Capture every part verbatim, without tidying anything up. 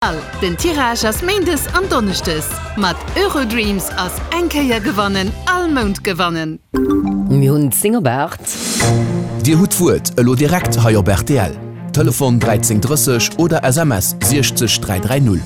Den Tirage ass méindes an donneschdes. Mat Eurodreams ass eng Kéier gewannen all Mount gewannen. Mir hunn zéng op aacht. Dir hutt d'Wuert elo direkt hei op rtl. Telefon dräizéng drësseg oder S M S siechzeg dräi dräi null.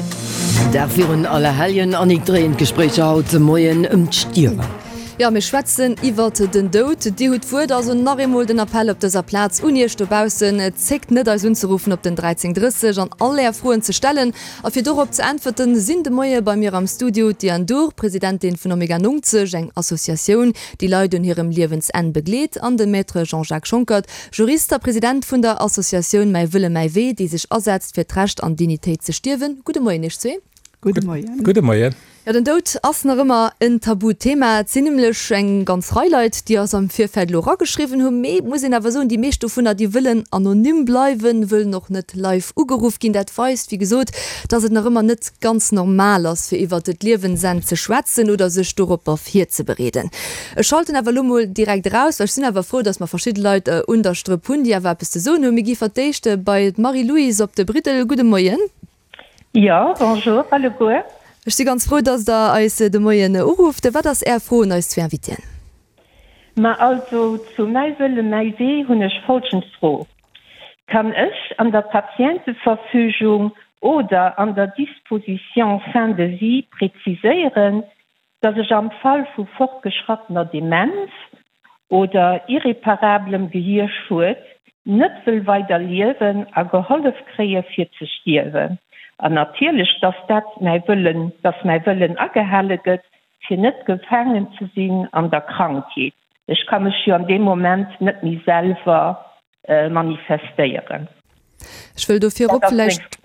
Dag virun Allerhelljen, Annick, dréien d'Gespréicher haut de Moien ëm d'Stierwen. Jo, mir schwätzen iwwert den Doud. Dir hutt d'Wuert. Also nach eemol den Appell op dëser Plaz un Iech dobaussen, Zéckt net eis unzeruffen op den dräizéng drësseg an all Är Froen ze stellen. A fir dorop ze äntwerten, sinn de Moie bei mir am Studio d'Diane Dhur, Presidentin vun Omega nongzeg, eng Associatioun, déi Leit un hirem Liewensenn begleet, an de Maître Jean-Jacques Schonckert, Jurist a President vun der Associatioun Mäi Wëlle mäi Wee, déi sech asetzt fir d'Recht an Dignitéit ze stierwen. Gudde Moien Iech zwee. Gudde Moien. Gudde Moien. Jo, den Doud ass nach ëmmer en Tabuthema. Et sinn nämlech eng ganz Rei Leit, déi eis am Virfeld elo erageschriwwen hunn. Mee et muss een awer soen, déi meescht dovunner, déi wëllen anonym bleiwen, wëllen och net live ugeruff ginn. Dat weist, wéi gesot, dass et nach ëmmer net ganz normal ass, fir iwwert d'Liewensenn ze schwätzen oder sech doropper virzebereeden. Ech schalten awer elo mol direkt eraus, well ech sinn awer frou, dass mer verschidde Leit un der Strëpp hunn, déi awer eppes ze soen hunn. Mir gi fir d'éischt bei d'Marie-Louise op de Briddel. Gudde Moien. Jo, bonjour alleguer. Ech si ganz frou, dass Der eis de Moien urufft. Wat ass Är Fro un eis zwee Invitéen? Ma also, zu Mäi Wëlle, mäi Wee hunn ech folgend Fro, Kann ech an der Patienteverfügung oder an der Disposition fin de vie präziséieren, dass ech am Fall vu fortgeschrattener Demenz oder irreparablem Gehierschued net wëll weider liewen a gehollef kréie fir ze stierwen an natierlech dass dat mäi Wëllen, dass mäi Wëllen agehale gëtt fir net gefaangen ze sinn an der Krankheet. Ech ka mech jo an deem Moment net méi selwer manifestéieren. Ech wëll do virop vläicht,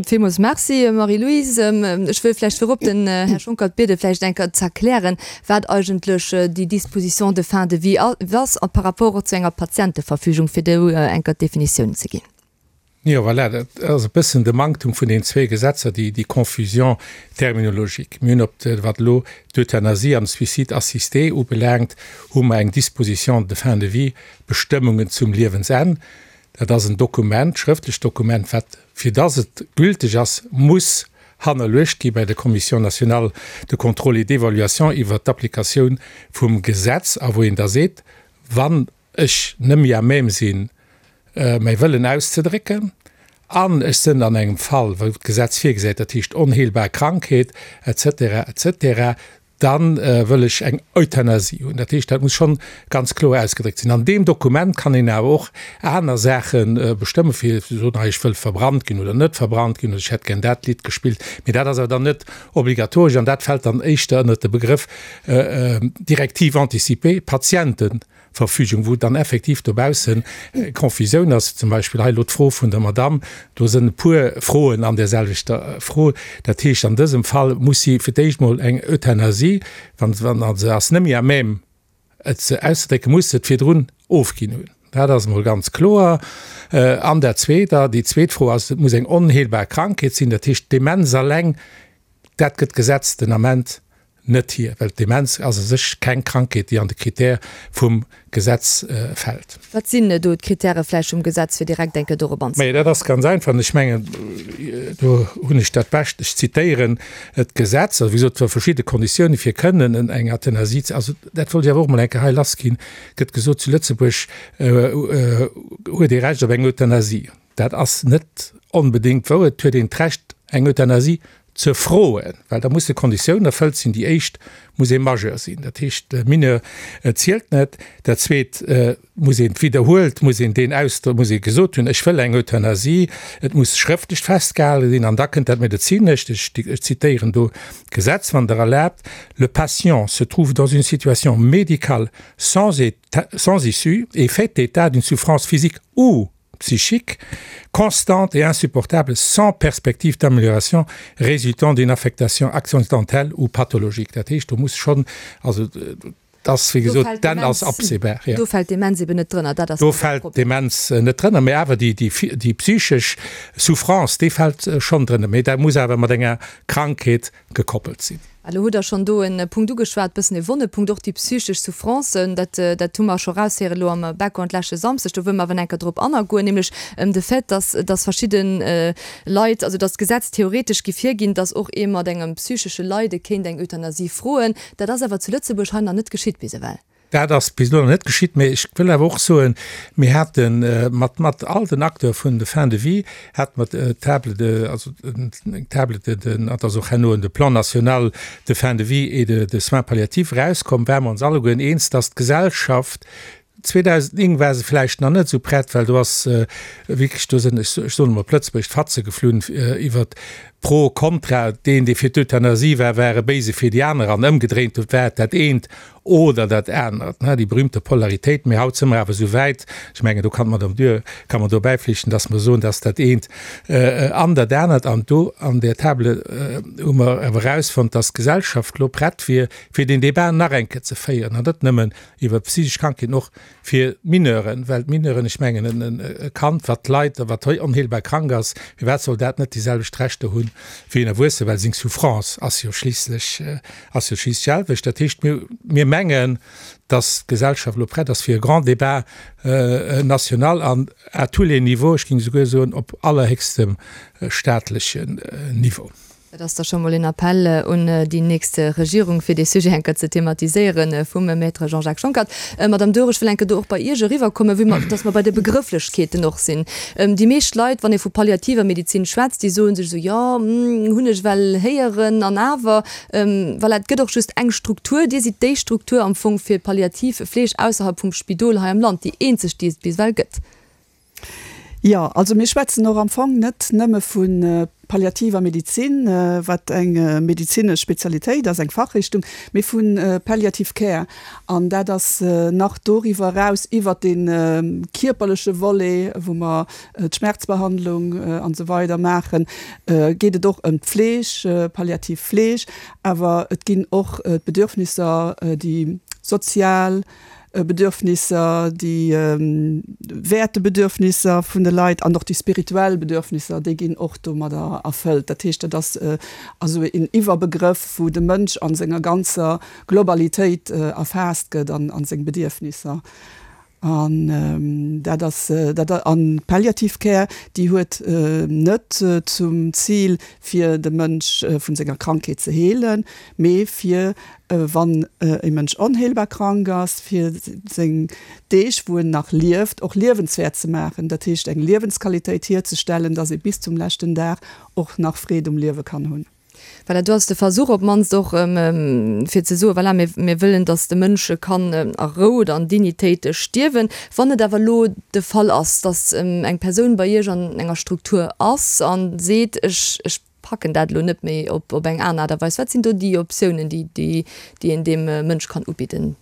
villmools Merci, Marie-Louise, ech wëll vläicht virop den Här Schonckert biede vläicht eng Kéier ze erklären, wat eigentlech déi Disposition de fin de vie ass a par rapport och zu enger Patienteverfügung, fir do eng Kéier d'Definitioun ze ginn. Jo, voilà, dat ass e bëssen de Manktum vun den zwee Gesetzer, déi, déi Confusion terminologique. Mir hunn op de, wat elo d'Euthanasie an de Suicide assisté ubelaangt, hu mer eng Disposition de fin de vie, Bestëmmungen zum Liewensenn. Dat ass en Dokument, schrëftlecht Dokument, wat, fir dass et gülteg ass, muss hannerluecht gi bei der Commission nationale de contrôle et d'évaluation iwwert d'Applikatioun vum Gesetz, a wou een da seet, wann ech net méi à même sinn, mäi Wëllen auszedrécken, an ech sinn an engem Fall, wou d'Gesetz virgesäit, dat heescht onheelbar Krankheet et cetera et cetera, da wëll ech eng Euthanasie hunn. Dat heescht, dat muss schonn ganz kloer ausgedréckt sinn. An deem Dokument kann een awer och aner Saache bestëmmen, fir ze soen, hei ech wëll verbrannt ginn oder net verbrannt ginn oder ech hätt gär dat Lidd gespillt. Mee dat ass awer dann net obligatoresch an dat fält dann éischter ënnert de Begrëff Directive anticipée, Patientenverfügung, wou dann effektiv dobaussen Confusioun ass. Zum Beispill hei elo d'Fro vun der Madamm, do sinn e puer Froen an där selwechter Fro. Dat heescht, an dësem Fall muss si fir d'éischt mol eng Euthanasie, wann se ass net méi à même et se auszedrécken, muss se et virdrun ofginn hunn. Dat ass emol ganz kloer. An dat Zweet, déi zweet Fro ass, et muss eng onheelbar Krankheet sinn, dat heescht d'Demenz alleng, dat gëtt d'Gesetz den Ament net hier, well d'Demenz ass a sech keng Krankheet, déi an de Critère vum Gesetz fält. Wat sinn do d'Kritäre vläicht vum Gesetz, fir direkt eng Kéier dorop anzegoen? Mä dat ass ganz einfach, an ech mengen, do hunn ech dat Bescht, ech zitéieren d'Gesetz, also wéi gesot, et verschidde Konditiounen, fir kënnen eng Euthanasie ze, also dat wollt ech awer och emol eng Kéier hei lassginn, gëtt gesot, zu Lëtzebuerg huet ee Recht op eng Euthanasie. Dat ass net onbedéngt wouer. Et huet een d'Recht, eng Euthanasie ze froen, well da musse Konditiounen erfëllt sinn. Déi éischt, muss ee Majeur sinn, dat heescht Mineur zielt net. Dat zweet, muss een widderhuelt, muss een deen Ausdrock, muss ee gesot hunn, ech wëll eng Euthanasie. Et muss schrëftlech festgehale sinn an da kënnt dat Medezinescht, ech zitéieren do d'Gesetz, wann Der erlaabt, Le patient se trouve dans une situation médicale sans sans issue et fait état d'une souffrance physique ou psychique constante et insupportable sans perspective d'amélioration résultant d'une affectation accidentelle ou pathologique. Dat heescht, do muss schonn, also dat ass wéi gesot, d'Enn ass absehbar. Do fält d'Demenz eben net drënner, dat ass Do fält d'Demenz net drënner, mä awer déi, déi psychesch Souffrance, déi fält schonn drënner. Mä dat muss awer mat enger Krankheet gekoppelt sinn. Elo hutt Der schonn do e Punkt ugeschwat, e bëssen e wonne Punkt, och déi psychesch Souffrancen. Dat, dat hu mer scho eraushéieren elo am Background leschte Samsdeg. Do wëlle mer awer nach eng Kéier drop anagoen, nämlech de Fait, dass, dass verschidde Leit, also dass d'Gesetz theoretesch giff virginn, dass och ee mat engem psychesche Leide kéint eng Euthanasie froen. Dat ass awer zu Lëtzebuerg hei nach net geschitt bis ewell. Dat ass bis elo nach net geschitt, mä ech wëll awer och soen, mir hate mat, mat all den Acteurs vun de Fins de vie hate mer d'Table de, also eng Table de, de, dat ass och herno de Plan national de fin de vie et de, de soins palliatifs erauskomm, ware mer ons allegueren eens, dass d'Gesellschaft, zweedausendnéng war se vläicht nach net esou prett, well do ass wierklech, do sinn, ech soen emol op Lëtzebuergesch, d'Fatze geflunn iwwert pro, contra. Deen, dee fir d'Euthanasie war, war e Béise fir déi aner an ëmgedréint war et dat eent oder dat anert, déi berühmte Polaritéit. Mee haut si mer awer esou wäit, ech mengen, do kann d'Madame Dürr, ka mer do bäiflichten, dass mer soen, dass dat eent an dat anert. An do an där Table hu mer awer erausfonnt, dass d'Gesellschaft elo prett wier, fir deen Débat nach eng Kéier ze féieren, an net nëmmen iwwer psychesch Krankheeten, och fir d'Mineuren, well d'Mineuren, ech mengen, e Kand, wat leit a wat onheelbar krank ass, firwat soll dat net déi selwecht Rechter hunn wéi en Erwuesse, well seng Souffrance ass jo schliisslech, ass jo schliisslech d'selwecht. Dat heescht, mir, mir mengen, dass d'Gesellschaft elo prett ass fir e grand Débat national an à tous les niveaux, ech géing esouguer soen op allerhéchstem staatlechen Niveau. Dat ass da scho mol een Appell un déi nächst Regierung, fir dee Sujet eng Kéier ze thematiséieren, vum Maître Jean-Jacques Schonckert. Madame Durr, ech wëll eng Kéier do och bei Iech eriwwerkommen, vue dass mer bei de Begrëfflechkeeten och sinn. Déi meescht Leit, wann ee vu palliativer Medizin schwätzt, déi soe sech esou, jo, hunn ech well héieren, an awer, voilà, et gëtt och just eng Struktur. Dir sidd déi Struktur am Fong fir palliativ Fleeg ausserhalb vum Spidol hei am Land, déi eenzeg, déi et bis ewell gëtt. Jo, also mir schwätzen och am Fong net nëmme vu palliativer Medizin, wat eng medezinesch Spezialitéit ass, eng Fachrichtung, mee vu Palliative Care. An dat ass nach doriwwer eraus, iwwert dee kierperleche Volet, wou mer d'Schmerzbehandlung an esou weider maachen, geet et och ëm d'Fleeg, palliativ Fleeg. Awer et ginn och d'Bedürfnisser, déi sozial, Bedürfnisser, déi Wäertebedürfnisser vun de Leit an och déi spirituell Bedürfnisser, déi ginn och domadder erfëllt. Dat heescht, dat ass also een Iwwerbegrëff, wou de Mënsch a senger ganzer Globalitéit erfaasst gëtt an a seng Bedierfnisser. An dat ass dat an d'Palliative Care, déi huet net zum Zil, fir de Mënsch vun senger Krankheet ze heelen, mee fir, wann e Mënsch onheelbar krank ass, fir seng Deeg, wou en nach lieft, och liewenswäert ze maachen, dat heescht eng Liewensqualitéit hierzestellen, dass ee bis zum leschten Dag och nach Freed um Liewe kann hunn. Voilà, do ass de Versuch op d'mannst och, fir ze soen, voilà, mir, mir wëllen, dass de Mënsch kann a Rou oder an Dignitéit stierwen. Wann et awer elo de Fall ass, dass eng Persoun bei Iech an enger Struktur ass a seet, ech, ech packen dat elo net méi op, op eng aner Aart a Weis, wat sinn do déi Optiounen, déi, déi, déi een deem Mënsch kann ubidden?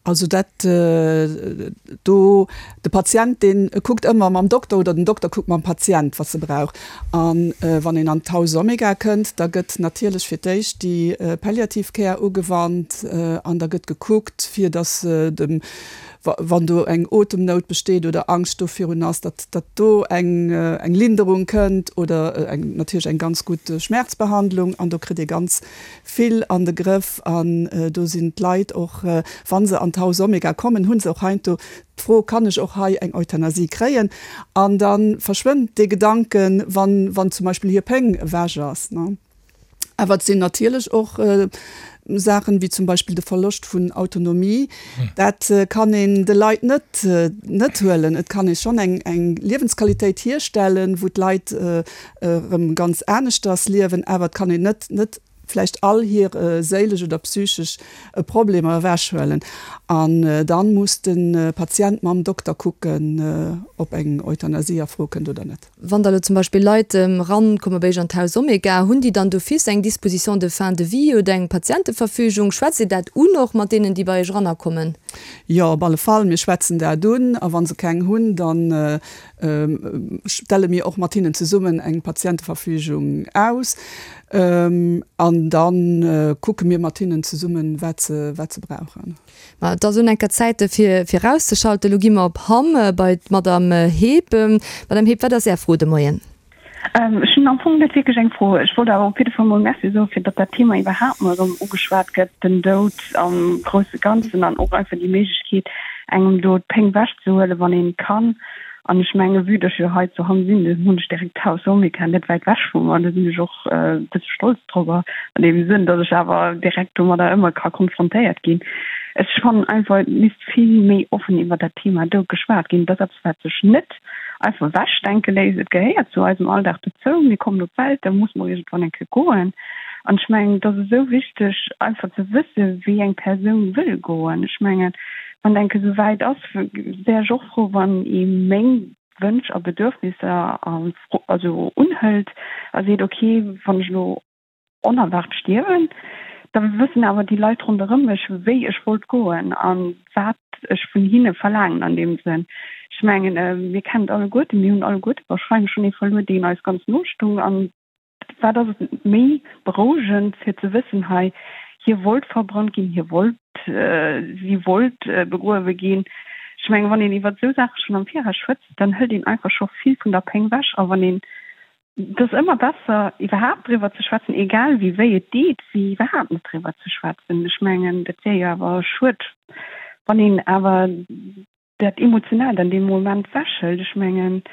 Also dat do, de Patient dee kuckt ëmmer mam Dokter oder den Dokter kuckt mam Patient, wat se brauch. A wann een an d'Haus Omega kënnt, da gëtt natierlech fir d'éischt déi Palliative Care ugewannt an da gëtt gekuckt, fir datt dem, wann do eng Otemnout besteet oder Angscht do virun ass, datt datt do eng eng Linderung kënnt oder eng natierlech eng ganz gutt Schmerzbehandlung an do kritt ee ganz vill an de Grëff an do sinn d'Leit och, wa se an d'Haus Omega kommen, hu se och heiansdo d'Fro, Kann ech och hei eng Euthanasie kréien? An da verschwënnt dee Gedanken, wann wann zum Beispill hir Péng ewech ass. Awer et sinn natierlech och Saachen, wéi zum Beispill de Verloscht vun Autonomie. Dat kann een de Leit net net huelen. Et kann ee schonn eng eng Liewensqualitéit hierstellen, wou d'Leit erëm ganz aneschters liewen, awer et kann een net net vläicht all hir séilesch oder psychesch Problemer ewechhuelen. An dann muss de Patient mam Dokter kucken, ob eng Euthanasie a Fro kënnt oder net. Wann da lo zum Beispill Leit erankomme bei Iech an d'Haus Omega, hunn déi dann d'office eng Disposition de fin de vie oder eng Patienteverfügung? Schwätzt Dir dat un och mat deenen, déi bei Iech erannerkommen? Jo, op alle Fall, mir schwätzen dat un. A wa se keng hunn, da stelle mir och mat hinnen zesummen eng Patienteverfügung aus. An da kucke mir mat hinnen zesummen, wat se, wat se brauchen. Ma et ass un enker Zäit fir fir erauszeschalten. Elo gi mer op Hamm bei d'Madame Heep. Madame Heep, wat ass Är Fro de Moien? Ech hunn am Fong net wierklech eng Fro. Ech wollt awer op jidde Fall mol Merci soen, fir datt dat Thema iwwerhaapt mol erëm ugeschwat gëtt, den Doud am grousse Ganzen an och einfach déi Méiglechkeet, engem do d'Péng wechzehuelen, wann een kann. An ech menge vue datt ech jo hei zu Hamm sinn, do hunn ech direkt d'Haus Omega net wäit wech vu mer, do sinn ech och e bësse stolz drobber an deem Sënn, datt ech awer direkt domadder ëmmer ka konfrontéiert ginn. Ech fannen einfach, et misst vill méi offen iwwer dat Thema Doud geschwat ginn. Et ass eppes, wat sech net einfach ewechdenke léisst. Et gehéiert zu eisem Alldag dozou. Mir kommen op d'Welt, da musse mer iergendwann eng Kéier goen. An ech mengen, et ass esou wichteg, einfach ze wëssen, wéi eng Persoun wëll goen. Ech mengen, wann et eng Kéier esou wäit ass, wär ech och frou, wann ee meng Wënsch a Bedürfnisser also unhëlt a seet, okay, wann ech elo onerwaart stierwen, da wëssen awer déi Leit ronderëm mech, wéi ech wollt goen a wat ech vun hinne verlaangen an deem Sënn. Ech mengen, mir kennen et alleguerten, mir hunn alleguerte warscheinlech schonn ee verluer, deen eis ganz no stung. A wat ass et méi berouegend, fir ze wëssen, hei, hie wollt verbrannt ginn, hie wollt, si wollt begruewe ginn. Ech mengen, wann een iwwer esou Saache schonn am Viraus schwätzt, dann hëlt een einfach scho vill vun der Péng wech. A wann een Et ass ëmmer besser, iwwerhaapt driwwer ze schwätzen, egal wéi wéi et deet, wéi iwwerhaapt net driwwer ze schwätzen. Ech mengen, dat wier jo awer schued, wann een awer dat Emotionaalt an deem Moment wechhëlt. Ech mengen,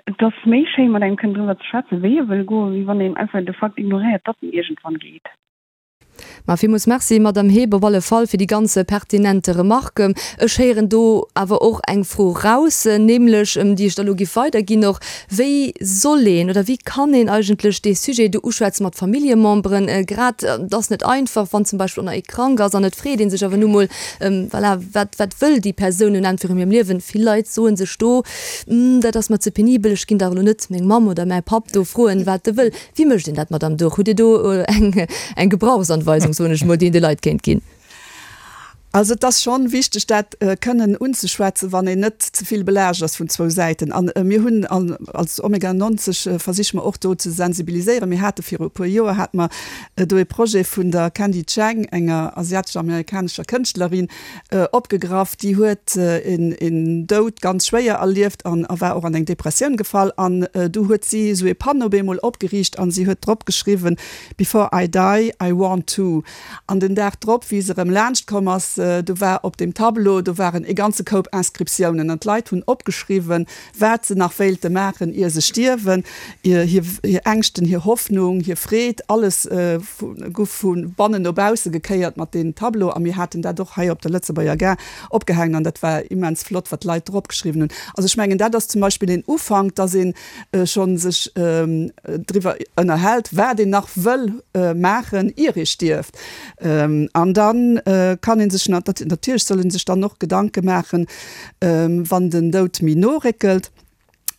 et ass méi schéi, mat engem kënnen driwwer ze schwätzen, wéi e wëll goen, wéi wann een einfach de Fakt ignoréiert, datt en iergendwann geet. Ma villmools Merci, Madamm Heeb, op alle Fall fir déi ganz pertinente Remarque. Ech héieren do awer och eng Fro raus, nämlech, déi ech da elo giff weiderginn och, Wéi soll een oder wéi kann een eigentlech dee Sujet do uschwätze mat Familljememberen? Grad, et ass net einfach, wann zum Beispill och nach ee krank ass an et freet ee sech awer nu mol, voilà, wat, wat wëll déi Persoun nun entweder an hirem Liewen? Vill Leit soe sech do, Dat ass mer ze penibel, ech ginn dach elo net meng Mamm oder mäi Papp do froen, wat e wëll. Wéi mécht een dat, Madamm Durr? Hutt Dir do eng, eng Gebrauchsanweisung, soen ech mol, déi een de Leit kéint ginn? Also et ass schonn wichteg, dat kënnen unzeschwätzen, wann een net ze vill belaascht ass vun zwou Säiten. An mir hunn als Omega neunzig versiche mer och do ze sensibiliséieren. Mir hate viru e puer Joer hate mer do e Projet vun der Candy Chang, enger asiatesch-amerikanescher Kënschtlerin, opgegraff. Déi huet een Doud ganz schwéier erlieft an war och an eng Depressioun gefall. An du huet si esou ee Panneau op eemol opgeriicht an si huet drop geschriwwen, Before I die, I want to. An den Dag drop, wéi se erëm laanscht komm ass, do war op deem Tableau, do waren e ganze Koup Inscriptiounen an d'Leit hunn opgeschriwwen, wat se nach wéilte maachen, ier se stierwen, hir Ängschten, hir Hoffnung, hir Freed, alles guff vu bannen no bausse gekéiert mat deem Tableau. A mir haten dat och hei op der Lëtzebuerger Gare opgehaangen an dat war immens flott, wat d'Leit drop geschriwwen hunn. Also ech mengen, dat ass zum Beispill een Ufank, dass ee scho sech driwwer ënnerhält, wat een nach wëll maachen, ier ee stierft. An da kann ee sech natierlech soll ee sech dann och Gedanke maachen, wann den Doud méi no réckelt.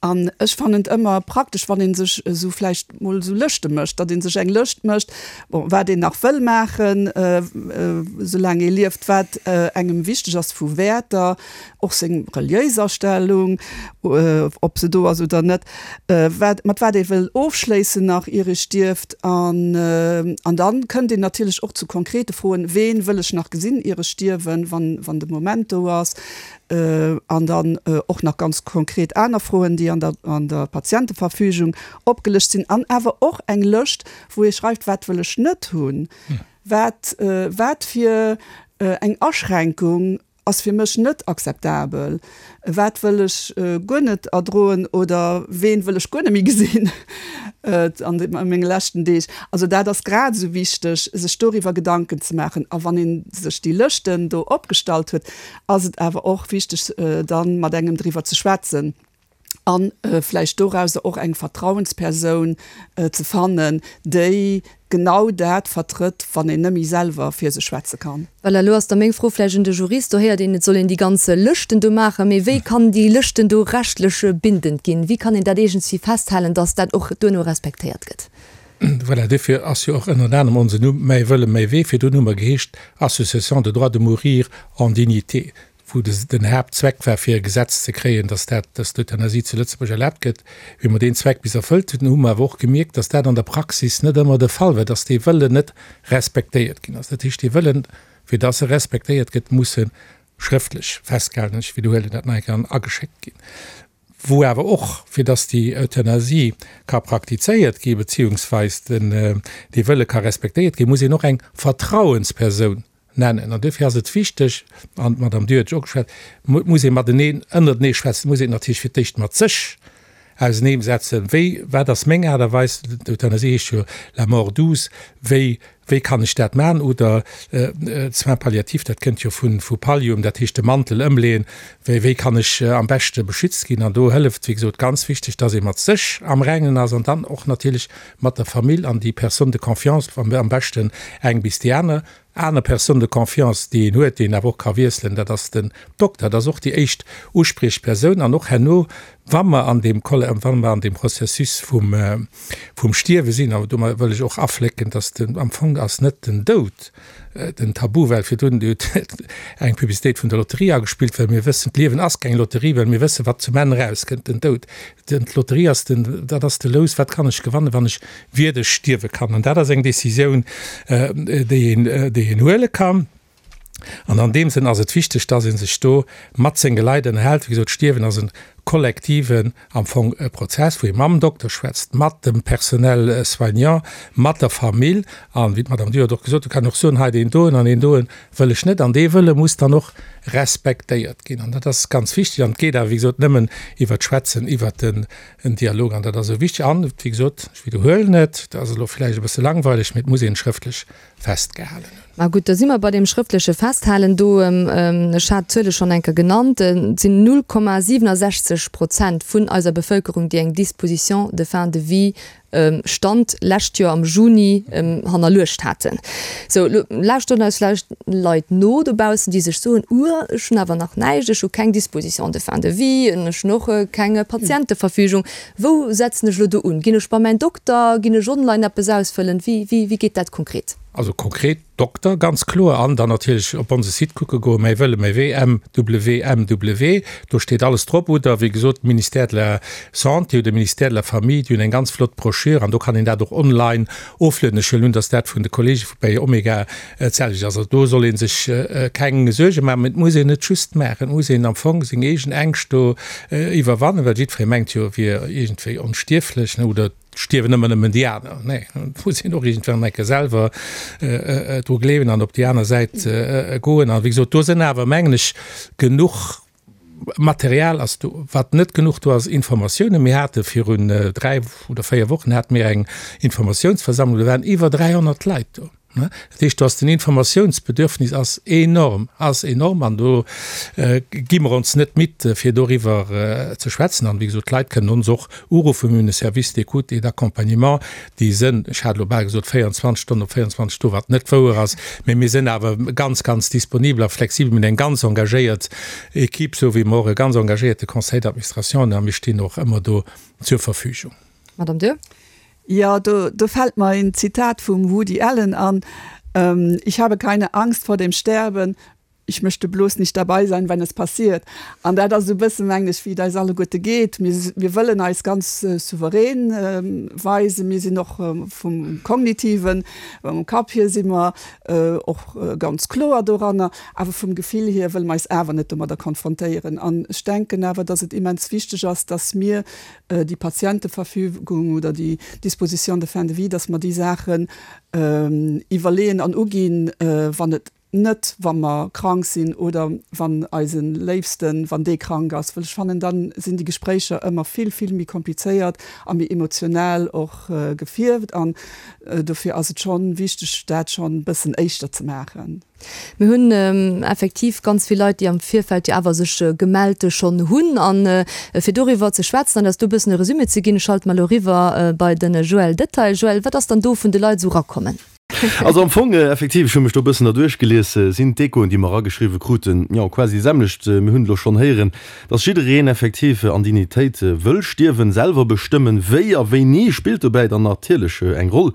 An ech fannen et ëmmer praktesch, wann ee sech esou vläicht mol esou Lëschte mécht, datt ee sech eng Lëscht mécht, bon, wat een nach wëll maachen, soulaang ee lieft, wat engem wichteg ass vu Wäerter, och seng reliéis Astellung, ob se do ass oder net, wat, mat wat ee wëll ofschléissen nach, ier ee stierft. An, an da kënnt een natierlech och zu konkrete Froen, Ween wëll ech nach gesinn, ier ech stierwen, wann, wann de Moment do ass? An dann och nach ganz konkret aner Froen, déi an der, an der Patienteverfügung opgelëscht sinn. An awer och eng Lëscht, wou ee schreift, Wat wëll ech net hunn? Wat, wat fir eng Aschränkung ass fir mech net akzeptabel? Wat wëll ech guer net erdroen oder ween wëll ech guer net méi gesinn an menge leschten Deeg? Also dat ass grad esou wichteg, sech doriwwer Gedanken ze maachen. A wann ee sech déi Lëschten do opgestallt huet, ass et awer och wichteg, da mat engem driwwer ze schwätzen a vläicht dorauser och eng Vertrauenspersoun ze fannen, déi genau dat vertrëtt, wann een net méi selwer fir sech schwätze kann. Voilà, elo ass da meng Fro vläicht un de Jurist. Do héiert een, et soll een déi ganz Lëschten do maachen. Mee wéi kann déi Lëschten do rechtlech bindend ginn? Wéi kann een dat iergendswéi festhalen, dass dat och duerno respektéiert gëtt? Voilà, duerfir ass jo och ënnert anerem onsen Numm Mäi Wëlle, mäi Wee. Virdrun hu mer geheescht Association de droit de mourir en dignité, wou den Haaptzweck war, fir e Gesetz ze kréien, dass dat, dass d'Euthanasie zu Lëtzebuerg erlaabt gëtt. Wéi mer deen Zweck bis erfëllt hunn, hu mer awer och gemierkt, dass dat an der Praxis net ëmmer de Fall war, dass dee Wëllen net respektéiert ginn ass. Dat heescht, dee Wëllen, fir dass e respektéiert gëtt, muss e schrëftlech festgehalen, ech widderhuelen dat nach eng Kéier, an ageschéckt ginn. wou awer och, fir dass déi Euthanasie ka praktizéiert gi beziehungsweis den, dee Wëlle ka respektéiert ginn, muss een och eng Vertrauenspersoun nennen. An duerfir ass et wichteg, an d'Madame Durr huet jo och geschwat, muss ee mateneen, ënnertenee schwätzen, muss een natierlech fir d'éischt mat sech auseneemsetzen, wéi, wat ass meng Aart a Weis, d'Euthanasie heescht jo la mort douce, wéi, wéi kann ech dat maachen, oder soins palliatifs, dat kënnt jo vu, vu Pallium, dat heescht de Mantel ëmleeën, wéi, wéi kann ech am beschte beschützt ginn. An do hëlleft, wéi gesot, ganz wichteg, dass ee mat sech am Rengen ass an dann och natierlech mat der Famill an déi Personne de confiance, am beschten eng bis déi aner. Aner Personne de confiance, déi een huet, déi een awer och ka wiesselen, dat ass den Dokter. Dat ass och déi éischt Uspriechpersoun. An och herno, wa mer an deem, wa mer an deem Processus vum, vum Stierwe sinn, an domat wëll ech och aflécken, dass den, am Fong ass net den Doud den Tabu, well virdrun huet eng Publicitéit vun der Lotterie agespillt, well mir wëssen, d'Liewen ass keng Lotterie, well mir wëssen, wat zum Enn erauskënnt, den Doud. D'Lotterie ass den, dat ass de Lous, wat kann ech gewannen, wann ech wierdeg stierwe kann. An dat ass eng Décisioun, déi een, déi een huele kann. An an deem Sënn ass et wichteg, dass ee sech do mat senge Leit ënnerhält. Wéi gesot, Stierwen ass e kollektiven am Fong e Prozess, wou ee mam Dokter schwätzt, mat dem Personnel soignant, mat der Famill. An, wéi d'Madame Durr et och gesot huet, kann och soen, hei deen doen an deen doen wëll ech net. An dee Wëlle muss dann och respektéiert ginn. An dat ass ganz wichteg. An et geet awer, wéi gesot, nëmmen iwwert d'Schwätzen, iwwert den Dialog. An dat ass esou wichteg. An, wéi gesot, ech widderhuelen et, dat ass elo vläicht e bësse langweileg, mee et muss een et schrëftlech festgehalen hunn. Ma gutt, da si mer bei deem schrëftleche Festhalen do. Ech hat d'Zuele schonn eng Kéier genannt. Et sinn null Komma siwenundsechzeg Prozent vun eiser Bevëlkerung, déi eng Disposition de fin de vie, Stand lescht Joer am Juni, hannerluecht haten. Sou, elo lauschteren eis vläicht Leit no dobaussen, déi sech soen, Uhr, ech hunn awer nach näischt, ech hu keng Disposition de fin de vie, ech hunn och keng Patienteverfügung. Wou setzen ech elo do un? Ginn ech bei mäin Dokter? Ginn ech online eppes ausfëllen? Wéi, wéi, wéi geet dat konkret? Also konkret Dokter, ganz kloer, an dann natierlech op onse Site kucke goen, Mäi Wëlle, mäi Wee, M W M W, do steet alles drop. Oder wéi gesot, Ministère de la Santé oder Ministère de la Famille, déi hunn eng ganz flott Broschür an do kann een dat och online oflueden. Ech huelen un, dass dat vun de Kollege vu bei Omega d'selwecht ass. Also do soll ee sech keng Suerge maachen, mä et muss een et just maachen. Et muss een am Fong seng eegen Ängscht do iwwerwannen, well jiddweree mengt jo, e wier iergendwéi onstierflech, oder stierwen ëmmer nëmmen déi aner. Nee, et muss een och iergendwann eng Kéier selwer dru gleewen an op déi aner Säit goen. An wéi gesot, do sinn awer, mengen ech, genuch Material ass do. Wat net genuch do ass, Informatiounen. Mir hate virun dräi oder véier Wochen hate mir eng Informatiounsversammlung, do waren iwwer dräihonnert Leit do. Dat heescht, do ass den Informatiounsbedürfnis ass enorm, ass enorm an do gi mer ons net midd, fir doriwwer ze schwätzen. An, wéi gesot, d'Leit kënnen ons och uruffen. Mir hunn e Service d'écoute et d'accompagnement, déi sënn, ech hat elo bal gesot véierundzwanzeg Stonnen op véierundzwanzeg do, wat net wouer ass, mä mir sënn awer ganz, ganz disponibel a flexibel. Mir hunn eng ganz engagéiert Equipe, esou wéi mer och e ganz engagéierte Conseil d'administration hunn a mir stinn och ëmmer do zur Verfügung. Madame Durr. Ja, do, do fällt mer een Zitat vum Woody Allen an, Ich habe keine Angst vor dem Sterben, ich möchte bloß nicht dabei sein, wenn es passiert. An dat ass esou e bëssen, mengen ech, wéi et eis alleguerte geet. Mir, mir wëllen eis ganz souverän weisen. Mir sinn och vum Kognitiven, mam Kapp hier si mer och ganz kloer doranner, awer vum Gefill hier wëlle mer eis awer net domadder konfrontéieren. An ech denken awer, dass et immens wichteg ass, dass mir déi Patienteverfügung oder déi Disposition de fin de vie, dass mer déi Saachen iwwerleeën an uginn, wann et net, wa mer krank sinn oder wann eise Léifsten, wann dee krank ass, well ech fannen, da sinn déi Gespréicher ëmmer vill, vill méi komplizéiert a méi emotionell och gefierft. An dofir ass et schonn wichteg, dat schonn e bëssen éischter ze maachen. Mir hunn effektiv ganz vill Leit, déi am Virfeld jo awer sech gemellt schonn hunn. A fir doriwwer ze schwätzen an eis do e bëssen e Resumé ze ginn, schalte mer elo eriwwer bei de Joël Detail. Joël, wat ass dann do vun de Leit esou erakommen? Also am Fong, effektiv, ech hu mech do e bëssen derduerch gelies, sinn d'Echoen, déi mer erageschriwwe kruten, jo, quasi déi selwecht. Mir hunn et elo schonn héieren, dass jiddereen effektiv an Dignitéit wëll stierwen, selwer bestëmmen, wéi a wéini spillt dobäi dann natierlech eng Roll.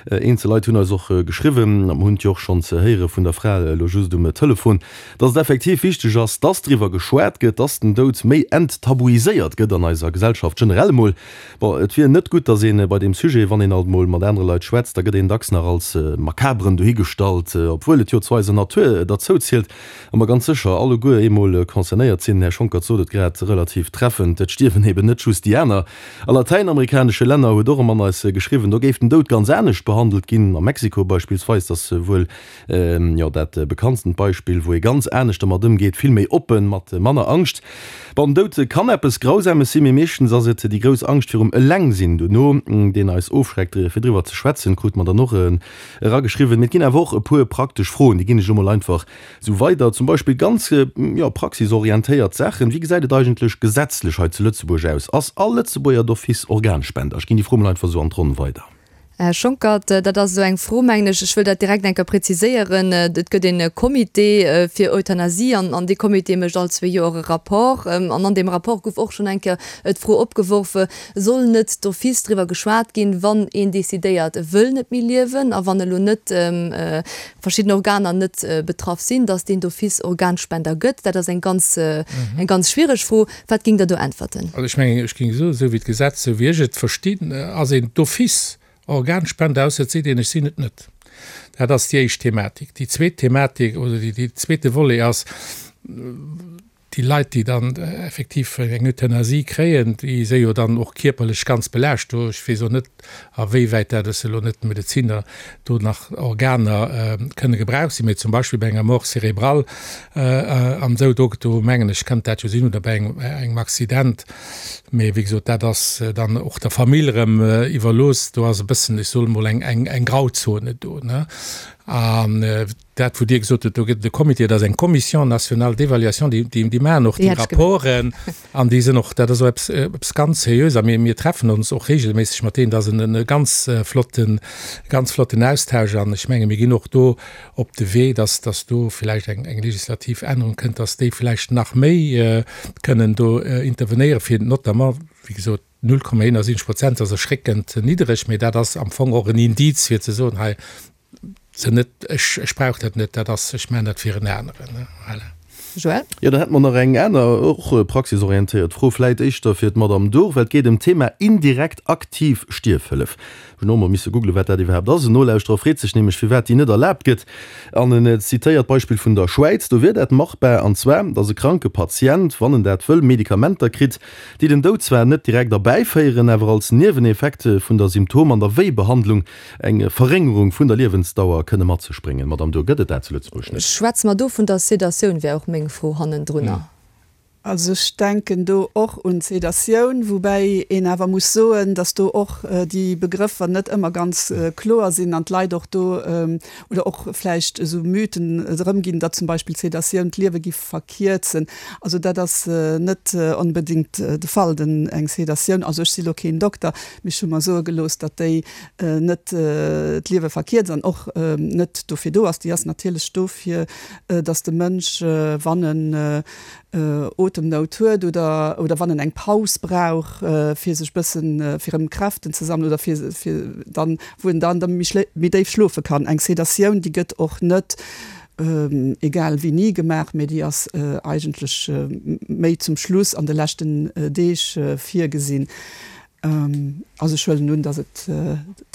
Eenzel Leit hunn eis och geschriwwen, a mer hunn et jo och schonns héiere vun der Fra elo just um Telefon, dass et effektiv wichteg ass, dass driwwer geschwat gëtt, dass den Doud méi enttabuiséiert gëtt an eiser Gesellschaft generell emol. Bon, et wier net gutt, dass ee bei deem Sujet, wann een alt emol mat anere Leit schwätzt, da gëtt een dacks nach als Makabren dohigestallt, obwuel et jo zu eiser Natur derzou zielt a mer ganz sécher alleguer eemol concernéiert sinn. Den Här Schonckert sot et grad relativ treffend, Et stierwen eben net just déi aner. A latäinamerikanesche Länner, huet och e Mann eis geschriwwen, do géif den Doud ganz anescht behandelt ginn. A Mexiko beispillsweis, dat ass wuel, jo, dat bekanntstent Beispill, wou ee ganz anescht dermat ëmgeet, vill méi oppen, mat manner Angscht. Bon, den Doud kann eppes Grausames sinn, mee meeschtens ass et déi grouss Angscht virum Elengsinn dono, deen eis ofschreckt, fir driwwer ze schwätzen, krute mer dann och erageschriwwen. Mee et ginn awer och e puer praktesch Froen, déi ginn ech elo mol einfach esou weider. Zum Beispill ganz, jo, praxisorientéiert Saachen, Wéi gesäit et eigentlech gesetzlech hei zu Lëtzebuerg aus? Ass all Lëtzebuerger d'office Organspender? Ech ginn déi Fro mol einfach esou an d'Ronn weider. Här Schonckert, dat ass esou eng Fro, mengen ech. Ech wëll dat direkt eng Kéier präziséieren. Et gëtt e Comité fir Euthanasie an an dee Comité mécht all zwee Joer e Rapport. An an deem Rapport gouf och schonn eng Kéier d'Fro opgeworf, Soll net d'office driwwer geschwat ginn, wann een decidéiert, e wëll net méi liewen a wann elo net verschidden Organer net betraff sinn, datt deen d'office Organspender gëtt? Dat ass eng ganz, eng ganz schwiereg Fro. Wat géingt Der do äntwerten? Also ech mengen, ech géing soen, esou wéi d'Gesetz, esou wéi ech et verstinn, ass een d'office Organspender, ausser et seet een, ech sinn et net. Dat ass déi éischt Thematik. Déi zweet Thematik oder déi zweete Volet ass, déi Leit, déi dann effektiv eng Euthanasie kréien, déi si jo dann och kierperlech ganz belaascht do. Ech weess och net, awéiwäit dat, ech si elo net Medeziner, do nach Organer kënne gebraucht sinn. Mee zum Beispill bei enger Mort cérébrale an esou, do, do mengen ech, kënnt dat jo sinn, oder bei engem, engem Accident. Mee wéi gesot, dat ass dann och der Famill erëm iwwerlooss. Do ass e bëssen, ech soe mol, eng, eng, eng Grauzone do, ne? An dat, wou Dir gesot hutt, do gëtt et e Comité, dat ass eng Commission nationale d'évaluation, déi, déi, déi maachen och déi Rapporten an déi sinn och, dat ass och eppes, eppes ganz Seriös. A mir, mir treffen ons och regelméisseg mat deenen. Dat ass en e ganz flotten, ganz flotten Austausch. An ech menge mir ginn och do op de Wee, dass, dass do vläicht eng, eng legislativ Ännerung kënnt, dass déi vläicht nach méi kënnen do intervenéieren, fir notamment, wéi gesot, null Komma eenundsiwwenzeg Prozent ass erschréckend niddereg, mee dat ass am Fong och en Indiz, fir ze soen, hei se net, ech, ech brauch dat net, dat ass, ech maachen dat fir en aneren. Voilà. Joël? Jo, dann hätte mer nach eng aner, och praxisorientéiert Fro, vläit éischter fir d'Madame Durr, well et geet ëm d'Thema indirekt aktiv Stierfhëllef. Ech hunn och emol misse googlen, wat dat iwwerhaapt ass. En Nolauschterer freet sech nämlech, firwat déi net erlaabt gëtt. An en zitéiert d'Beispill vun der Schwäiz. Do wier dat machbar, an zwar, datt e kranke Patient, wann en dat wëll, Medikamenter kritt, déi den Doud zwar net direkt erbäiféieren, awer als Nieweneffekt vun der Symptom an der Wéibehandlung eng Verréngerung vun der Liewensdauer kënne mat sech bréngen. Madame Durr, gëtt et dat zu Lëtzebuerg net? Schwätze mer do vun der Sedatioun, wär och meng Fro hannendrunner. Also ech denken do och un d'Sedatioun, woubäi een awer muss soen, datt do och déi Begrëffer net ëmmer ganz kloer sinn an d'Leit och do oder och vläicht esou Mythen erëmginn, datt zum Beispill d'Sedatioun d'Liewe giff verkierzen. Also dat ass net onbedéngt de Fall. Den eng Sedatioun, also ech si lo keen Dokter, mee ech hu mer soe gelooss, datt déi net d'Liewe verkierzt an och net dofir do ass. Déi ass natierlech do fir datt de Mënsch, wann en Otemnout huet oder oder wann en eng Paus brauch fir sech bëssen fir erëm Kräften ze sammelen oder fir fir dann wou en dann da méi schlé méi déif schlofe kann. Eng Sedatioun déi gëtt och net egal wéini gemaach, mee déi ass eigentlech méi zum Schluss an de leschten Deeg virgesinn. Also ech huelen un, datt et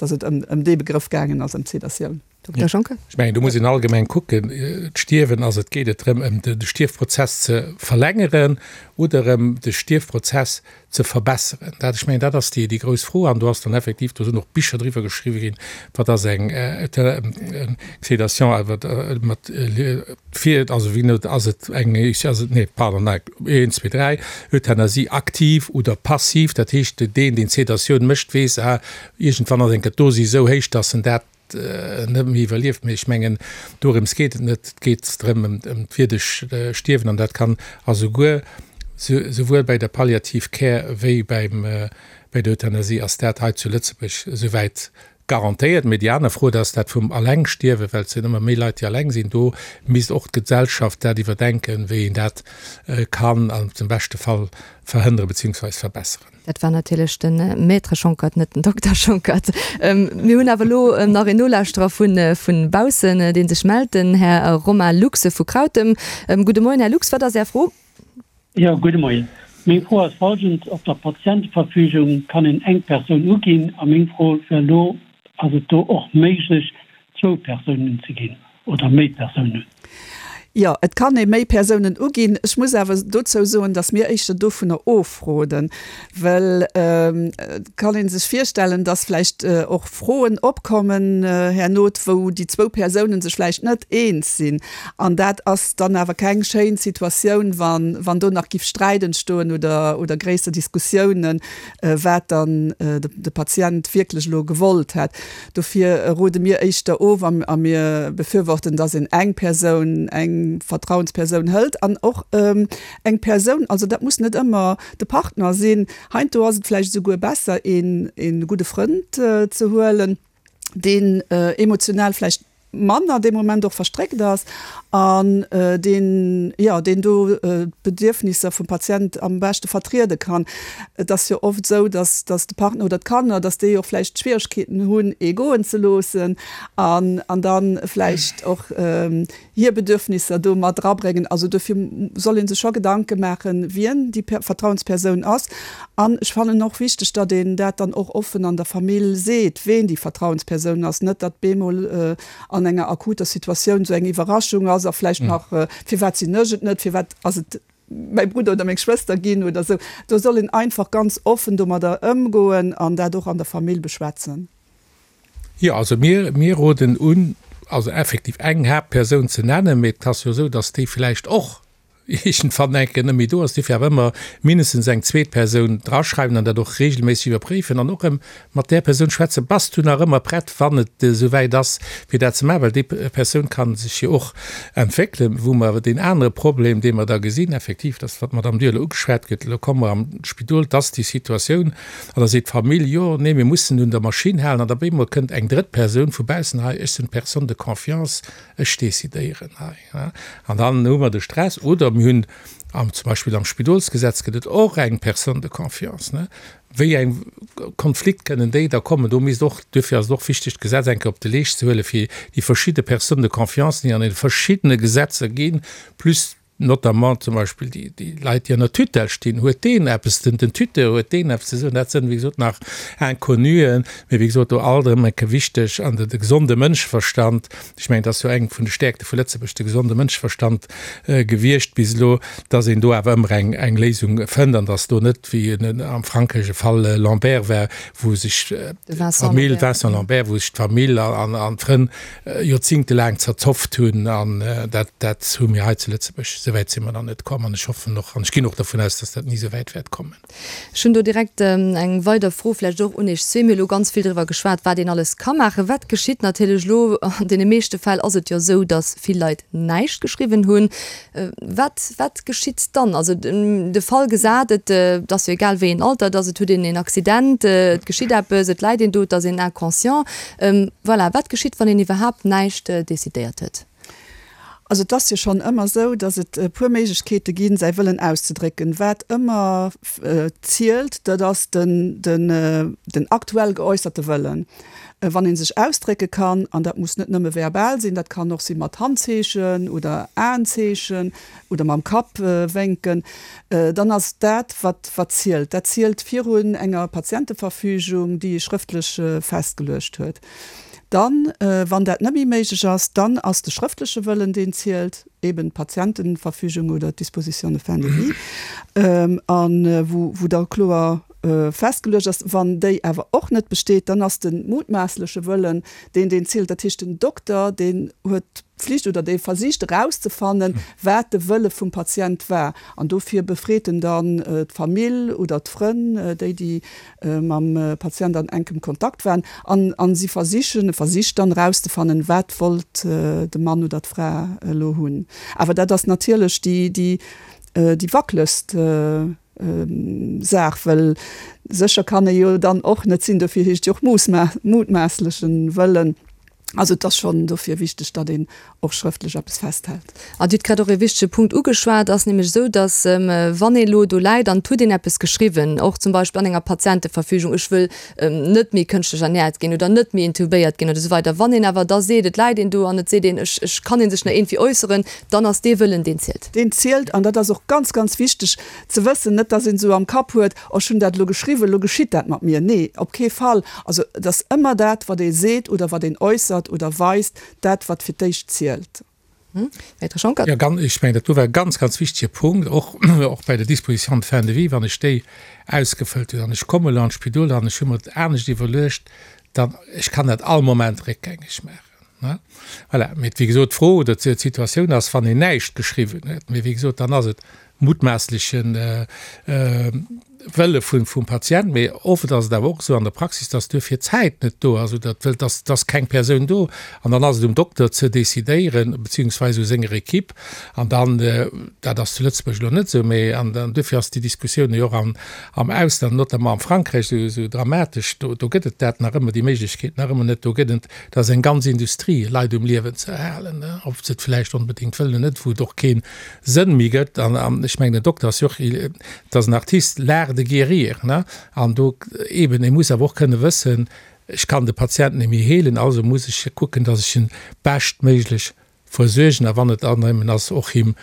datt et ëm ëm dee Begrëff gaangen ass, ëm d'Sedatioun. Dokter Schonckert. Ech mengen, do muss een allgemeng kucken, d'Stierwen ass, et geet et drëm, ëm de Stierfprozess ze verlängeren oder ëm de Stierfprozess ze verbesseren. Dat, ech mengen, dat ass déi, déi grouss Fro. An do ass dann effektiv, do sinn och Bicher driwwer geschriwwen ginn, wat ass eng Sédation mat fir, also wéi net, ass et eng, ass et, nee, pardon, nei, een, zwee, dräi, Euthanasie aktiv oder passiv. Dat heescht, deen, deen d'Sédatioun mécht, weess, ah, iergendwann ass eng Kéier d'Dosis esou héich, dass en dat net méi iwwerlieft. Mee ech mengen, dorëms geet et net. Et geet drëm, ëm d'wierdeg Stierwen. An dat kann a souguer, souwuel bäi der Palliative Care wéi beim, bäi der Euthanasie ass dat hei zu Lëtzebuerg esouwäit garantéiert. Mee déi aner Fro, dat ass dat vum Allengstierwen, well et sinn ëmmer méi Leit, déi alleng sinn. Do misst och d'Gesellschaft dat iwwerdenken, wéi een dat kann am beschte Fall verhënnere beziehungsweise verbesseren. Dat war natierlech de Maître Schonckert, net den Dokter Schonckert. Mir hunn awer elo nach een Nolauschterer vu baussen, dee sech mellt, den Här Romain Lux vu Krautem. Gudde Moien, Här Lux, wat ass Är Fro? Jo, gudde Moien. Meng Fro ass folgend, Op der Patienteverfügung kann een eng Persoun uginn a meng Fro wär elo, Ass et do och méiglech, zwou Persounen ze ginn oder méi Persounen? Jo, et kann ee méi Persounen uginn. Ech muss awer dozou soen, datt mir éischter dovunner ofroden, well et kann ee sech virstellen, datt vläicht och Froen opkommen herno, wou déi zwou Persounen sech vläicht net eens sinn. An dat ass dann awer keng schéin Situatioun, wann do nach giff Sträit entstoen oder oder gréisser Diskussiounen, wat dann de Patient wierklech elo gewollt hätt. Dofir rode mir éischter of a mir befürworten, datt een eng Persoun, eng Vertrauenspersoun hëlt an och eng Persoun, also dat muss net ëmmer de Partner sinn, heiansdo ass et vläicht esouguer besser, een gudde Frënd ze huelen, deen emotional vläicht manner dee Moment och verstréckt ass an deen, jo, deen do d'Bedierfnisser vum Patient am beschte vertriede kann. Et ass jo oft esou, dass, dass de Partner oder d'Kanner, dass déi och vläicht Schwieregkeeten hunn, ee goen ze loossen an, an da vläicht och hir Bedürfnisser do mat erabréngen. Also dofir soll ee sech scho Gedanke maachen, wien déi Vertrauenspersoun ass. An ech fannen och wichteg, datt een dat dann och offen an der Famill seet, ween déi Vertrauenspersoun ass, net datt bemol an enger akuter Situatioun esou eng Iwwerraschung ass a vläicht nach, firwat sinn ech et net, firwat ass et mäi Brudder oder meng Schwëster ginn oder esou. Do soll een einfach ganz offen domadder ëmgoen an dat och an der Famill beschwätzen. Jo, also mir, mir roden un, also effektiv eng Haaptpersoun ze nennen, mee et ass jo esou, datt déi vläicht och iergendwann eng Kéier net méi do ass. Dofir awer ëmmer mindestens eng zweet Persoun draschreiwen an dat och regelméisseg iwwerpréifen an och erëm mat där Persoun schwätzen, Bass du nach ëmmer prett, wann et esouwäit ass, fir dat ze maachen? Well déi Persoun ka sech jo och entwéckelen. Wou mer awer deen anere Problem, dee mer da gesinn, effektiv, dat wat d'Madame Durle ugeschwat huet, elo komme mer am Spidol, et ass déi Situatioun, an da seet d'Famill, Jo, nee, mir mussen un der Maschinn halen. An da op eemol kënnt eng drëtt Persoun vu baussen, Hei, ech sinn d'Personne de confiance, ech decidéieren hei. An dann hu mer de Stress. Oder mir hunn am, zum Beispill am Spidolsgesetz gëtt et och eng Personne de confiance, ne? Wéi eng Konflikt kënnen déi da kommen? Do misst och, duerfir ass et och wichteg, d'Gesetz eng Kéier op de Leescht ze huelen, fir déi verschidde Personnes de confiance, déi an deene verschiddene Gesetzer ginn, plus notamment zum Beispill déi, déi Leit, déi an der Tutelle stinn, huet deen eppes, den, den Tuteur, huet deen eppes ze soen? Dat sënn, wéi gesot, nach Inconnuen, mee wéi gesot, do alt erëm eng Kéier wichteg, an de, de gesonde Mënscheverstand, ech mengen, dat ass jo eng vun de Stäerkte vu Lëtzebuerg, de gesonde Mënscheverstand gewiescht bis elo, dass een do awer ëmmer eng, eng Léisung fënnt an dass do net, wéi am Frankräich e Fall Lambert war, wou sech d'Famill, Vincent Lambert, wou sech d'Famill an, an d'Frënn joerzingtelaang zerzofft hunn an dat, dat hu mir hei zu Lëtzebuerg, esouwäit si mer nach net komm an ech hoffen och an ech ginn och dervun aus, dass dat ni esouwäit wäert kommen. Ech hunn do direkt eng weider Fro vläicht och un Iech zwee. Mir hu elo ganz vill driwwer geschwat, wat een alles ka maachen. Wat geschitt natierlech elo? An deene meeschte Fäll ass et jo esou, dass vill Leit näischt geschriwwen hunn. Wat, wat geschitt dann? Also de Fall gesat, et ass jo egal wéi een Alter et ass, et huet een een Accident, et geschitt eppes, et läit een do, et ass een inconscient. Voilà, wat geschitt, wann een iwwerhaapt näischt decidéiert huet? Also et ass jo schonn ëmmer esou, datt et e puer Méiglechkeete ginn, säi Wëllen auszedrécken. Wat ëmmer zielt, dat ass den, den, den aktuell geäusserte Wëllen. Wann ee sech ausdrécke kann, an dat muss net nëmme verbal sinn, dat kann och si mat Handzeechen oder Aenzeechen oder mam Kapp wénken, dann ass dat, wat wat zielt. Dat zielt virun enger Patienteverfügung, déi ee schrëftlech festgeluecht huet. Dann, wann dat net méi méiglech ass, dann ass de schrëftleche Wëllen, deen zielt, eben d'Patientenverfügung oder d'Disposition de fin de vie, a wou da kloer festgeluecht ass. Wann déi awer och net besteet, dann ass de mutmaassleche Wëllen deen, deen zielt. Dat heescht, den Dokter, deen huet d'Pflicht oder dee versicht erauszefannen, wat de Wëlle vum Patient war. An dofir befreet en dann d'Famill oder d'Frënn, déi, déi mam Patient an enkem Kontakt waren. An, an si versichen, e versicht dann erauszefannen, wat wollt de Mann oder d'Fra elo hunn. Awer dat ass natierlech déi, déi, déi wackelegst Saach, well sécher kann ee jo dann och net sinn, dofir heescht jo och mutmaasslechen Wëllen. Also et ass schonn dofir wichteg, datt een och schrëftlech eppes festhält. A Dir hutt grad och e wichtege Punkt ugeschwat, ass nämlech esou, datt wann ee elo do läit an et huet een eppes geschriwwen, och zum Beispill an enger Patienteverfügung, ech wëll net méi kënschtlech ernäert ginn oder net méi intubéiert ginn oder esou weider, wann een awer da seet, et läit een do an et seet een, ech ech kann ee sech nach iergendwéi äusseren, dann ass dee Wëllen, deen zielt. Deen zielt an dat ass och ganz, ganz wichteg ze wëssen, net datt een esou am Kapp huet, oh ech hunn dat elo geschriwwen, elo geschitt dat mat mir. Nee, op kee Fall. Also et ass ëmmer dat, wat ee seet oder wat een äussert, äntwert oder weist, dat wat fir d'éischt zielt. Maître Schonckert. Jo, ganz, ech mengen, dat do war e ganz, ganz wichtige Punkt, och, och bei der Disposition de fin de vie, wann ech déi ausgefëllt hunn an ech komme elo an d'Spidol an ech hu mer et anescht iwwerluecht, dann, ech kann dat all Moment réckgängeg maachen. Voilà. Mee wéi gesot, d'Fro oder d'Situatioun ass, wann een näischt geschriwwen huet, mee wéi gesot, dann ass et mutmaßlechen Wëlle vum Patient, mee oft ass et awer och esou an der Praxis, dass duerfir d'Zäit net do ass oder et ass keng Persoun do an dann ass et um Dokter ze decidéieren, beziehungsweise u senger Equipe an dann, dat ass zu Lëtzebuerg elo net esou, mee an duerfir ass déi Diskussioun jo och am Ausland, notamment am Frankräich esou dramatesch, do gëtt et dat nach ëmmer, déi Méiglechkeet nach ëmmer net, do gëtt et, dat ass eng ganz Industrie, Leit um Liewen ze erhalen, ob se et vläicht onbedéngt wëllen oder net, wou et och kee Sënn méi gëtt an ech mengen, den Dokter ass jo och, et ass en Artiste, l'art de guérir, ne, an do eben, e muss awer och kënne wëssen, ech kann de Patient net méi heelen, also muss ech kucken, datt ech en beschtméiglech versuergen a wann et dann nëmmen ass, och him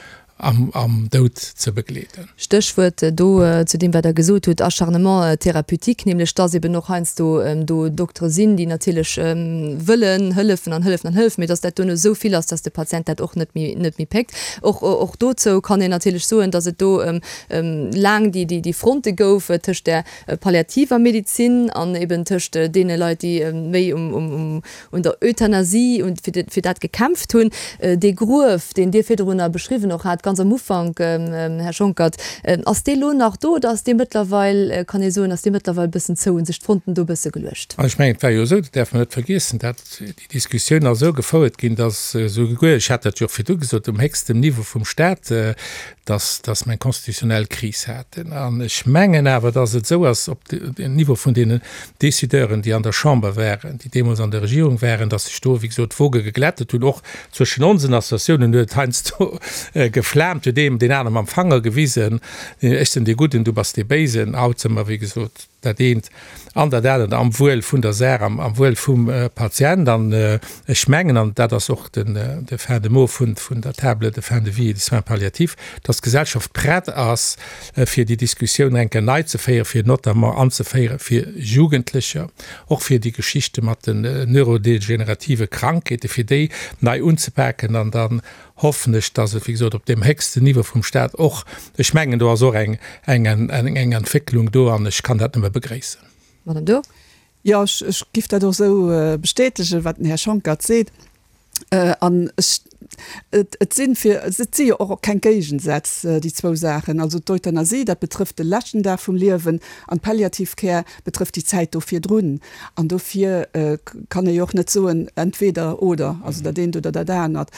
am, am Doud ze begleeden. Stéchwuert do zu deem, wat Der gesot hutt, Acharnement thérapeutique, nämlech dass eben och heiansdo do Doktere sinn, déi natierlech wëllen hëllefen an hëllefen an hëllefen, mee dass dat duerno esou vill ass, dass de Patient dat och net méi, net méi péckt. Och, och dozou kann een natierlech soen, dass et do laang déi, déi Fronte gouf tëscht der palliativer Medizin an eben tëscht deene Leit, déi méi um, um, un der Euthanasie und fir, fir dat gekämpft hunn. Dee Gruef, deen Dir virdrunner beschriwwen och hat, ganz am Ufank, Här Schonckert, ass dee lo nach do oder ass dee mëttlerweil, kann ee soen, ass dee mëttlerweil e bëssen zou, hu sech d'Fronten do e bësse geluecht? Ech mengen, et war jo esou, dat däerf mer net vergiessen, dat déi Diskussioun ass esou gefouert ginn, datt esouguer, ech hat dat jo och virdu gesot, um héchstem Niveau vum Stat, datt, datt mer eng konstitutionell Kris haten. An ech mengen awer, datt et esou ass op dem Niveau vun deenen Décideuren, déi an der Chamber waren, déi deemools an der Regierung waren, datt sech do, wéi gesot, d'Woge geglättet hunn. Och zwëschen onsen Associatiounen huet et heiansdo geflaamt, huet een deen anere mam Fanger gewisen, Ech sinn dee Gudden, du bass dee Béisen. Haut si mer, wéi gesot, dat eent an dat anert am Wuel vun der Saach, am Wuel vum Patient. An ech mengen, an dat ass och de fin de mot vun der Table de fin de vie et des soins palliatifs, dass d'Gesellschaft prett ass, fir déi Diskussioun eng Kéier nei ze féieren, fir notamment anzeféiere fir Jugendlecher, och fir déi Geschichte mat den neurodegenerative Krankheeten, fir déi nei unzepaken an dann hoffen ech, dass et, wéi gesot, op deem héchsten Niveau vum Stat och, ech mengen, do ass och eng, eng, eng Entwécklung do an ech kann dat nëmme begréissen. Madame Durr. Jo, ech, ech giff dat och esou bestätegen, wat den Här Schonckert seet. An ech, et, et sinn fir, et si jo och keng Géigensätz, déi zwou Saachen. Also d'Euthanasie, dat betrëfft de leschten Dag vum Liewen an d'Palliative Care betrëfft déi Zäit do virdrun. An dofir kann ee jo och net soen, entweder oder, also dat eent oder dat anert.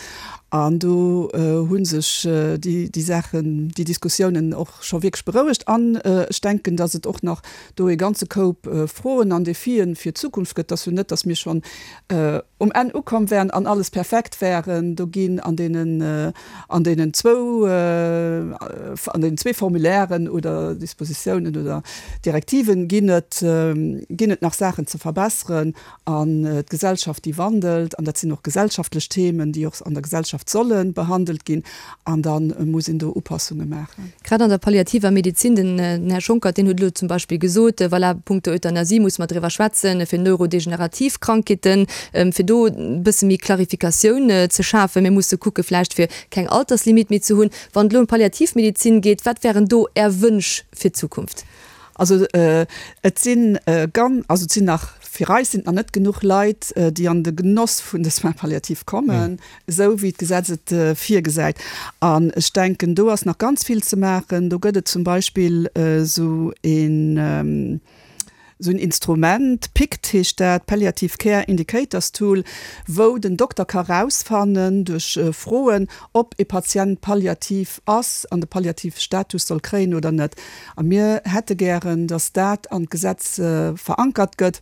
An do hu sech déi, déi Saachen, déi Diskussiounen och scho wierklech berouegt. An ech denken, datt et och nach do e ganze Koup Froen an Defien fir d'Zukunft gëtt. Et ass jo net, datt mir schonn um Enn ukomm wären an alles perfekt wären. Do ginn an deenen, an deenen zwou, an deenen zwee Formulairen oder Dispositiounen oder Direktiven ginn et, ginn et nach Saachen ze verbesseren. An d'Gesellschaft, déi wandelt, an dat sinn och gesellschaftlech Themen, déi och an der Gesellschaft solle behandelt ginn, an da muss een do Upassunge maachen. Grad an der palliativer Medezin, den Här Schonckert, deen huet elo zum Beispill gesot, voilà, punkto Euthanasie musse mer driwwer schwätzen, fir neurodegenerativ Krankheeten, fir do e bësse méi Klarifikatioun ze schafen. Mir musse kucke vläicht, fir keng Alterslimit méi ze hunn. Wann et elo ëm d'Palliativmedezin geet, wat wären do Är Wënsch fir d'Zukunft? Also et sinn gan, also et sinn nach, fir eis sinn et nach net genuch Leit, déi an de Genoss vun de Soins palliatifs kommen, esou wéi d'Gesetz et virgesäit. An ech denken, do ass nach ganz vill ze maachen. Do gëtt et zum Beispill esou een, esou en Instrument, PICT heescht dat, Palliative Care Indicators Tool, wou den Dokter ka rausfannen duerch Froen, ob e Patient palliativ ass an de palliative Status soll kréien oder net. A mir hätte gären, dass dat an d'Gesetz verankert gëtt,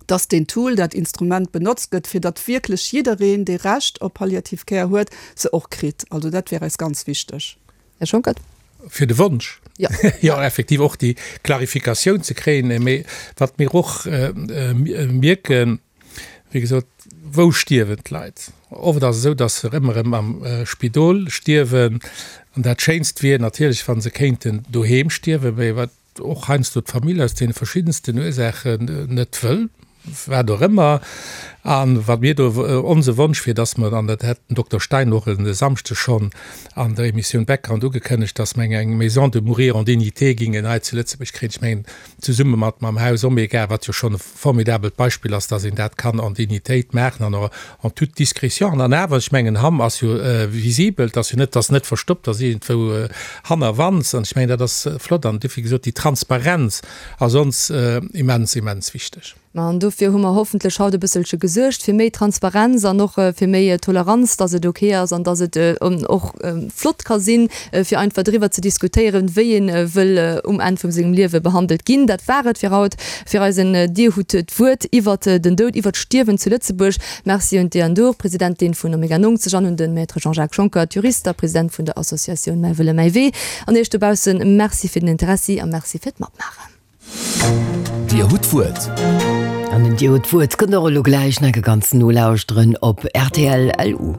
dass deen Tool, dat Instrument benotzt gëtt, fir datt wierklech jiddereen, dee Recht op Palliative Care huet, se och kritt. Also dat wär eis ganz wichteg. Här Schonckert. Fir de Wonsch, jo, effektiv och déi Klarifikatioun ze kréien. Mee wat mir och mierken, wéi gesot, wou stierwen d'Leit? Oft ass et esou, dass se ëmmer erëm am Spidol stierwen. An dat Schéinst wier natierlech, wa se kéinten doheem stierwen, mee wat och heiansdo d'Famill aus deene verschiddensten Ursaachen net wëll, wat och ëmmer. An wat mir do onse Wonsch wier, dass mer, an dat hätt den Dokter Stein och e Samschde schonn an der Emissioun Background ugekënnegt, dass mer eng Maison de mourir en dignité gingen hei zu Lëtzebuerg kréien. Ech mengen, zesumme mat mam Haus Omega, wat jo schonn e formidabelt Beispill ass, dass een dat kann en Dignitéit maachen an och en toute discrétion. An awer, ech mengen, Hamm ass jo visibel, et ass jo net, et ass net verstoppt, et ass iergendwou hannerwands. An ech mengen, dat ass flott. An duerfir gesot, déi Transparenz ass ons immens, immens wichteg. Ma an dofir hu mer hoffentlech haut e bësselche gesuergt fir méi Transparenz an och fir méi Toleranz, dass et ok ass an dass et och flott ka sinn, fir einfach driwwer ze diskutéieren, wéi ee wëll um Enn vum sengem Liewe behandelt ginn. Dat war et fir haut fir eisen Dir hutt d'Wuert iwwert den Doud, iwwert d'Stierwen zu Lëtzebuerg. Merci un d'Diane Dhur, Presidentin vun Omega neunzeg an un de Maître Jean-Jacques Schonckert, Jurist a President vun der Associatioun Mäi Wëlle mäi Wee. An Iech dobaussen Merci fir den Interessi a Merci fir d'Matmaachen. Dir hutt d'Wuert. An den Dir hutt d'Wuert kënnt och elo gläich nach e ganzen nolauschteren op rtl. Lu.